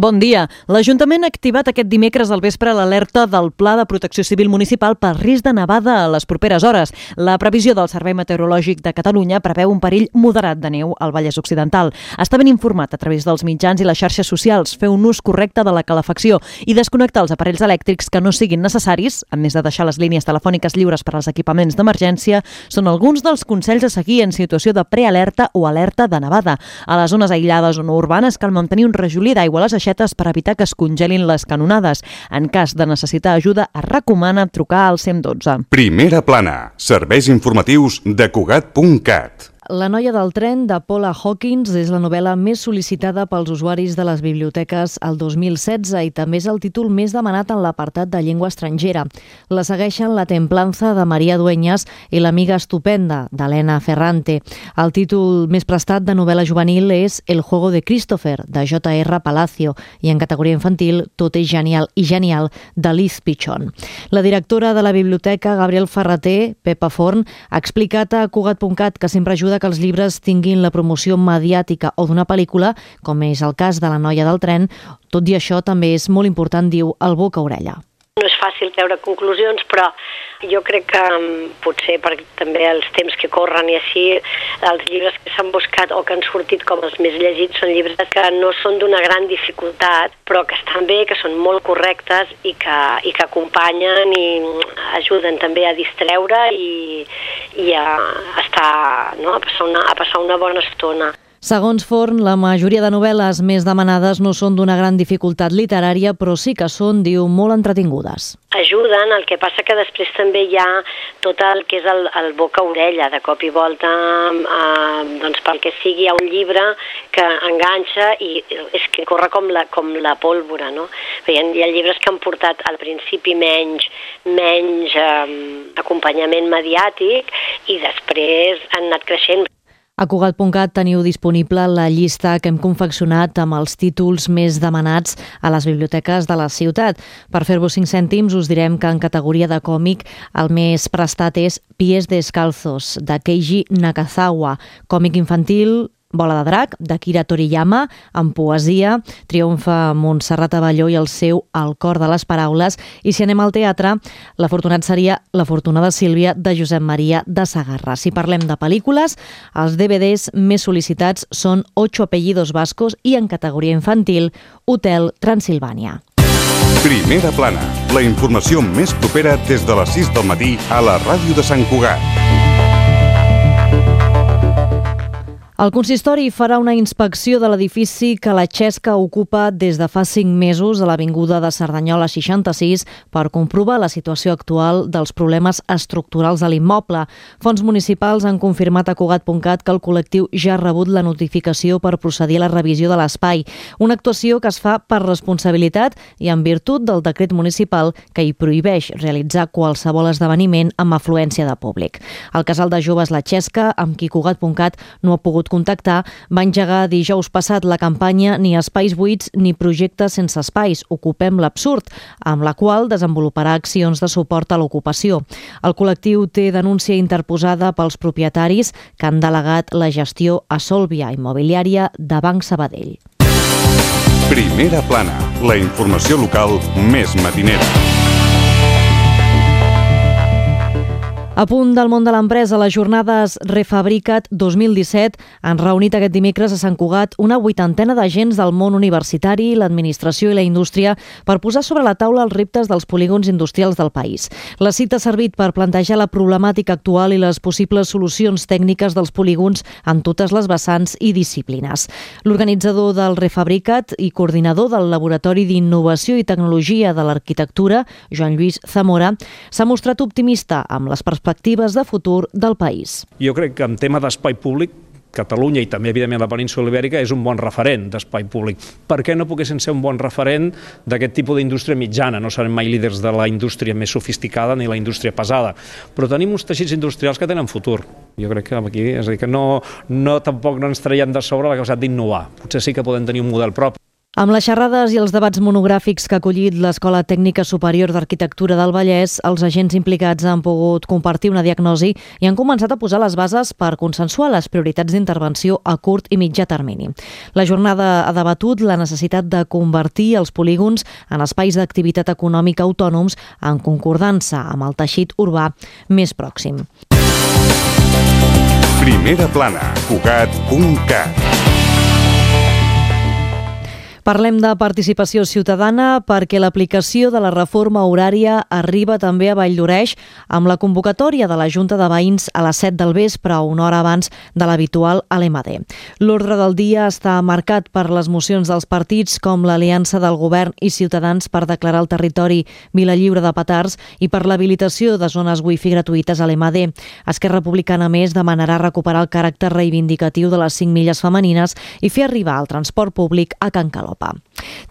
Bon dia. L'Ajuntament ha activat aquest dimecres al vespre l'alerta del Pla de Protecció Civil Municipal per risc de nevada a les properes hores. La previsió del Servei Meteorològic de Catalunya preveu un perill moderat de neu al Vallès Occidental. Està ben informat a través dels mitjans i les xarxes socials, fer un ús correcte de la calefacció i desconnectar els aparells elèctrics que no siguin necessaris, a més de deixar les línies telefòniques lliures per als equipaments d'emergència, són alguns dels consells a seguir en situació de prealerta o alerta de nevada. A les zones aïllades o no urbanes cal mantenir un rajolí d'aigua a les aixetes per evitar que es congelin les canonades. En cas de necessitar ajuda, es recomana trucar al 112. Primera plana. Serveis informatius de Cugat.cat. La noia del tren, de Paula Hawkins, és la novel·la més sol·licitada pels usuaris de les biblioteques el 2016 i també és el títol més demanat en l'apartat de llengua estrangera. La segueixen La Templanza, de Maria Dueñas, i L'amiga estupenda, d'Helena Ferrante. El títol més prestat de novel·la juvenil és El juego de Christopher, de J.R. Palacio, i en categoria infantil Tot és genial i genial, de Liz Pichon. La directora de la biblioteca, Gabriel Ferrater, Pepa Forn, ha explicat a Cugat.cat que sempre ajuda que els llibres tinguin la promoció mediàtica o d'una pel·lícula, com és el cas de La noia del tren. Tot i això, també és molt important, diu, el boca-orella. No és fàcil treure conclusions, però jo crec que potser perquè també els temps que corren i així, els llibres que s'han buscat o que han sortit com els més llegits són llibres que no són d'una gran dificultat, però que estan bé, que són molt correctes i que acompanyen i ajuden també a distreure i a estar, no? a passar una bona estona. Segons Forn, la majoria de novel·les més demanades no són d'una gran dificultat literària, però sí que són, diu, molt entretingudes. Ajuden, el que passa que després també hi ha tot el que és el boca-orella, de cop i volta, doncs pel que sigui, hi ha un llibre que enganxa i és que corre com la pólvora, no? Hi ha llibres que han portat al principi menys acompanyament mediàtic i després han anat creixent. A Cugat.cat teniu disponible la llista que hem confeccionat amb els títols més demanats a les biblioteques de la ciutat. Per fer-vos 5 cèntims us direm que en categoria de còmic el més prestat és Pies descalzos, de Keiji Nakazawa. Còmic infantil, Bola de drac, d'Akira Toriyama. En poesia triomfa Montserrat Abelló i el seu El cor de les paraules. I si anem al teatre, l'afortunat seria La fortuna de Sílvia, de Josep Maria de Sagarra. Si parlem de pel·lícules, els DVDs més sol·licitats són Ocho apellidos vascos i en categoria infantil, Hotel Transilvània. Primera plana. La informació més propera des de les 6 del matí a la ràdio de Sant Cugat. El consistori farà una inspecció de l'edifici que la Xesca ocupa des de fa 5 mesos a l'Avinguda de Cerdanyola 66 per comprovar la situació actual dels problemes estructurals de l'immoble. Fons municipals han confirmat a Cugat.cat que el col·lectiu ja ha rebut la notificació per procedir a la revisió de l'espai, una actuació que es fa per responsabilitat i en virtut del decret municipal que hi prohibeix realitzar qualsevol esdeveniment amb afluència de públic. El casal de joves La Xesca, amb qui Cugat.cat no ha pogut contactar, va engegar dijous passat la campanya Ni espais buits ni projectes sense espais, ocupem l'absurd, amb la qual desenvoluparà accions de suport a l'ocupació. El col·lectiu té denúncia interposada pels propietaris que han delegat la gestió a Solvia Immobiliària de Banc Sabadell. Primera plana. La informació local més matinera. A punt del món de l'empresa, les jornades Refabrica't 2017 han reunit aquest dimecres a Sant Cugat una 80ena d'agents del món universitari, l'administració i la indústria per posar sobre la taula els reptes dels polígons industrials del país. La cita ha servit per plantejar la problemàtica actual i les possibles solucions tècniques dels polígons en totes les vessants i disciplines. L'organitzador del Refabrica't i coordinador del Laboratori d'Innovació i Tecnologia de l'Arquitectura, Joan Lluís Zamora, s'ha mostrat optimista amb les perspectives de futur del país. Jo crec que en tema d'espai públic, Catalunya i també, evidentment, la península ibèrica és un bon referent d'espai públic. Per què no poguessin ser un bon referent d'aquest tipus d'indústria mitjana? No serem mai líders de la indústria més sofisticada ni la indústria pesada, però tenim uns teixits industrials que tenen futur. Jo crec que aquí, és a dir, que tampoc no ens traiem de sobre la capacitat d'innovar. Potser sí que podem tenir un model propi. Amb les xerrades i els debats monogràfics que ha acollit l'Escola Tècnica Superior d'Arquitectura del Vallès, els agents implicats han pogut compartir una diagnosi i han començat a posar les bases per consensuar les prioritats d'intervenció a curt i mitjà termini. La jornada ha debatut la necessitat de convertir els polígons en espais d'activitat econòmica autònoms en concordança amb el teixit urbà més pròxim. Primera plana, Cugat.cat. Parlem de participació ciutadana perquè l'aplicació de la reforma horària arriba també a Valldoreix amb la convocatòria de la Junta de Veïns a les 7 del vespre, una hora abans de l'habitual a l'EMAD. L'ordre del dia està marcat per les mocions dels partits com l'Aliança del Govern i Ciutadans per declarar el territori vila lliure de petards i per l'habilitació de zones wifi gratuïtes a l'EMAD. Esquerra Republicana, més, demanarà recuperar el caràcter reivindicatiu de les 5 milles femenines i fer arribar el transport públic a Can Calop.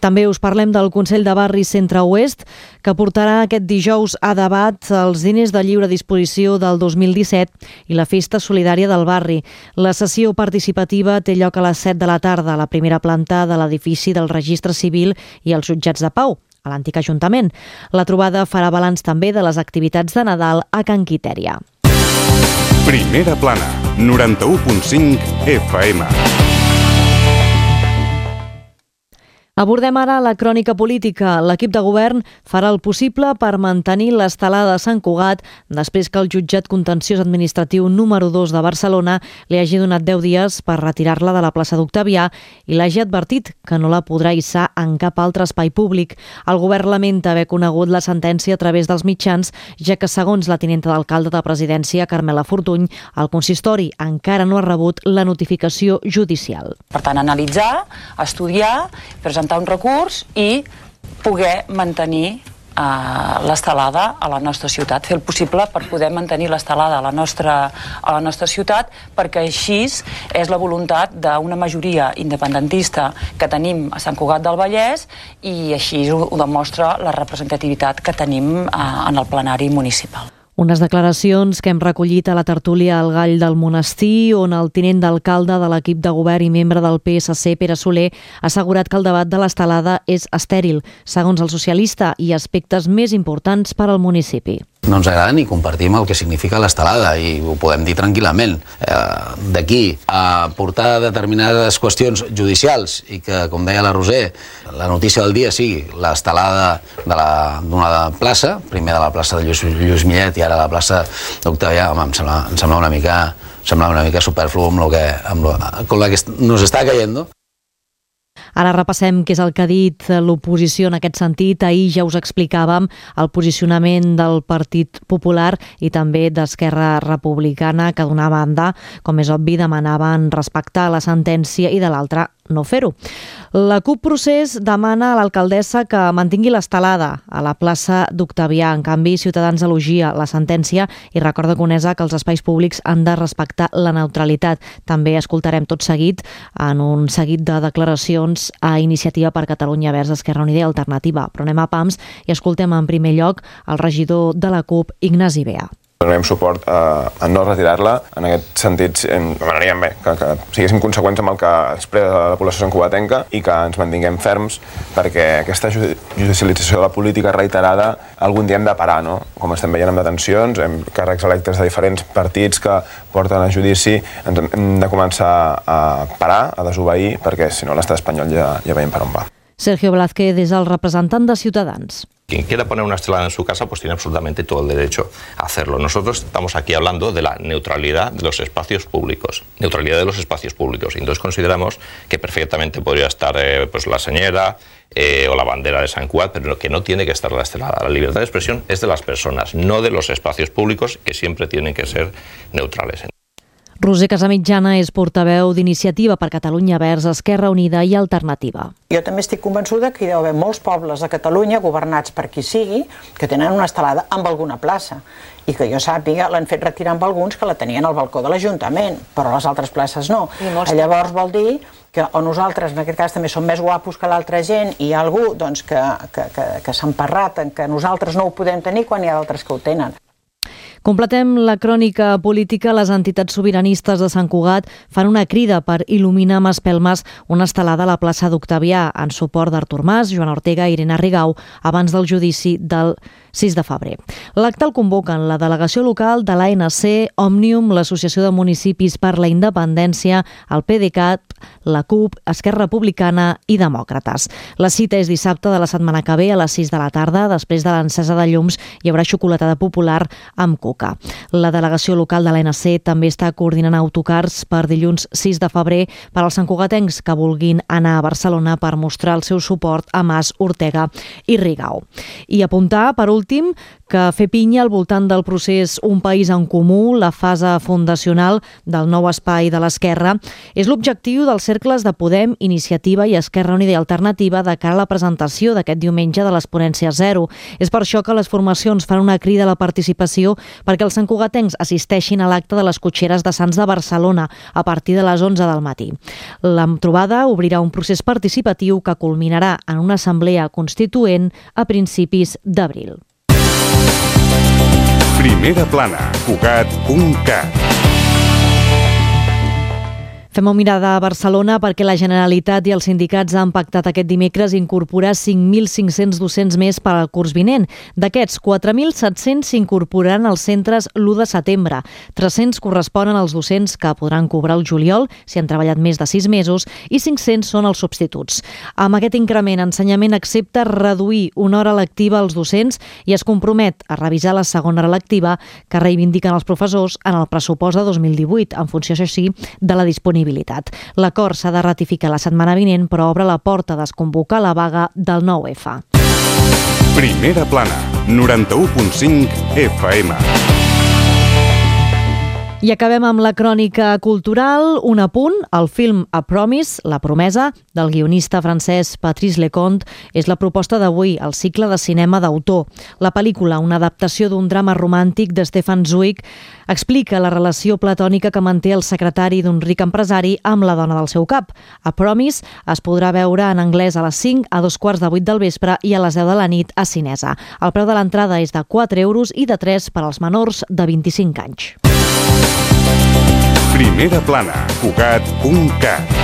També us parlem del Consell de Barri Centre-Oest, que portarà aquest dijous a debat els diners de lliure disposició del 2017 i la festa solidària del barri. La sessió participativa té lloc a les 7 de la tarda a la primera planta de l'edifici del Registre Civil i els Jutjats de Pau, a l'antic Ajuntament. La trobada farà balanç també de les activitats de Nadal a Can Quitèria. Primera plana, 91.5 FM. Abordem ara la crònica política. L'equip de govern farà el possible per mantenir l'estelada de Sant Cugat després que el jutjat contenciós administratiu número 2 de Barcelona li hagi donat 10 dies per retirar-la de la plaça d'Octavià i l'hagi advertit que no la podrà hissar en cap altre espai públic. El govern lamenta haver conegut la sentència a través dels mitjans, ja que, segons la tinenta d'alcalde de Presidència, Carmela Fortuny, el consistori encara no ha rebut la notificació judicial. Per tant, analitzar, estudiar, presentar un recurs i poder mantenir l'estelada a la nostra ciutat, fer el possible per poder mantenir l'estelada a la nostra ciutat, perquè així és la voluntat d'una majoria independentista que tenim a Sant Cugat del Vallès i així ho demostra la representativitat que tenim en el plenari municipal. Unes declaracions que hem recollit a la tertúlia al Gall del Monestir, on el tinent d'alcalde de l'equip de govern i membre del PSC, Pere Soler, ha assegurat que el debat de l'estelada és estèril, segons el socialista, i aspectes més importants per al municipi. No ens agrada ni compartim el que significa l'estelada i ho podem dir tranquil·lament. D'aquí a portar determinades qüestions judicials i que, com deia la Roser, la notícia del dia sigui l'estelada d'una plaça, primer de la plaça de Lluís Millet i ara la plaça d'Octavià, em sembla una mica superflu amb la que nos està caient. Ara repassem què és el que ha dit l'oposició en aquest sentit. Ahir ja us explicàvem el posicionament del Partit Popular i també d'Esquerra Republicana, que d'una banda, com és obvi, demanaven respectar la sentència i de l'altra no fer-ho. La CUP Procés demana a l'alcaldessa que mantingui l'estelada a la plaça d'Octavià. En canvi, Ciutadans elogia la sentència i recorda Conesa que els espais públics han de respectar la neutralitat. També escoltarem tot seguit en un seguit de declaracions a Iniciativa per Catalunya Verds, Esquerra Unida i Alternativa. Però anem a pams i escoltem en primer lloc el regidor de la CUP, Ignasi Bea. Donarem suport a no retirar-la. En aquest sentit, demanaríem que siguéssim conseqüents amb el que expressa la població santcugatenca i que ens mantinguem ferms, perquè aquesta judicialització de la política reiterada algun dia hem de parar, no? Com estem veient amb detencions, amb càrrecs electes de diferents partits que porten a judici, hem de començar a parar, a desobeir, perquè si no l'estat espanyol ja veiem per on va. Sergio Blázquez és el representant de Ciutadans. Quien quiera poner una estelada en su casa, pues tiene absolutamente todo el derecho a hacerlo. Nosotros estamos aquí hablando de la neutralidad de los espacios públicos. Neutralidad de los espacios públicos. Y entonces consideramos que perfectamente podría estar pues la señera o la bandera de Sant Cugat, pero que no tiene que estar la estelada. La libertad de expresión es de las personas, no de los espacios públicos, que siempre tienen que ser neutrales. Roser Casamitjana és portaveu d'Iniciativa per Catalunya Verds, Esquerra Unida i Alternativa. Jo també estic convençuda que hi deu haver molts pobles a Catalunya, governats per qui sigui, que tenen una estelada amb alguna plaça. I que jo sàpiga, l'han fet retirar amb alguns que la tenien al balcó de l'Ajuntament, però les altres places no. Llavors vol dir que o nosaltres, en aquest cas, també som més guapos que l'altra gent i hi ha algú que s'ha emparrat en que nosaltres no ho podem tenir quan hi ha d'altres que ho tenen. Completem la crònica política. Les entitats sobiranistes de Sant Cugat fan una crida per il·luminar amb espelmes una estelada a la plaça d'Octavià en suport d'Artur Mas, Joan Ortega i Irene Rigau abans del judici del 6 de febrer. L'acte el convoquen la delegació local de l'ANC, Òmnium, l'Associació de Municipis per la Independència, el PDeCAT, la CUP, Esquerra Republicana i Demòcrates. La cita és dissabte de la setmana que ve a les 6 de la tarda. Després de l'encesa de llums hi haurà xocolatada popular amb coca. La delegació local de l'ANC també està coordinant autocars per dilluns 6 de febrer per als santcugatencs que vulguin anar a Barcelona per mostrar el seu suport a Mas, Ortega i Rigau. I apuntar, per últim, que fer pinya al voltant del procés Un País en Comú, la fase fundacional del nou espai de l'Esquerra, és l'objectiu dels cercles de Podem, Iniciativa i Esquerra Unida i Alternativa de cara a la presentació d'aquest diumenge de les ponències zero. És per això que les formacions fan una crida a la participació perquè els santcugatencs assisteixin a l'acte de les cotxeres de Sants de Barcelona a partir de les 11 del matí. La trobada obrirà un procés participatiu que culminarà en una assemblea constituent a principis d'abril. Primera plana, Cugat.cat. Fem una mirada a Barcelona perquè la Generalitat i els sindicats han pactat aquest dimecres incorporar 5.500 docents més per al curs vinent. D'aquests, 4.700 s'incorporaran als centres l'1 de setembre. 300 corresponen als docents que podran cobrar el juliol, si han treballat més de 6 mesos, i 500 són els substituts. Amb aquest increment, Ensenyament accepta reduir una hora lectiva als docents i es compromet a revisar la segona hora lectiva que reivindiquen els professors en el pressupost de 2018, en funció, això sí, de la disponibilitat. L'acord s'ha de ratificar la setmana vinent, però obre la porta a desconvocar la vaga del 9F. Primera plana, 91.5 FM. I acabem amb la crònica cultural. Un apunt, el film A Promise, La promesa, del guionista francès Patrice Leconte, és la proposta d'avui, el cicle de cinema d'autor. La pel·lícula, una adaptació d'un drama romàntic de Stefan Zweig, explica la relació platònica que manté el secretari d'un ric empresari amb la dona del seu cap. A Promise es podrà veure en anglès a les 5, a 7:45 del vespre i a les 10 de la nit a Cinesa. El preu de l'entrada és de 4 euros i de 3 per als menors de 25 anys. Primera plana, Cugat.cat.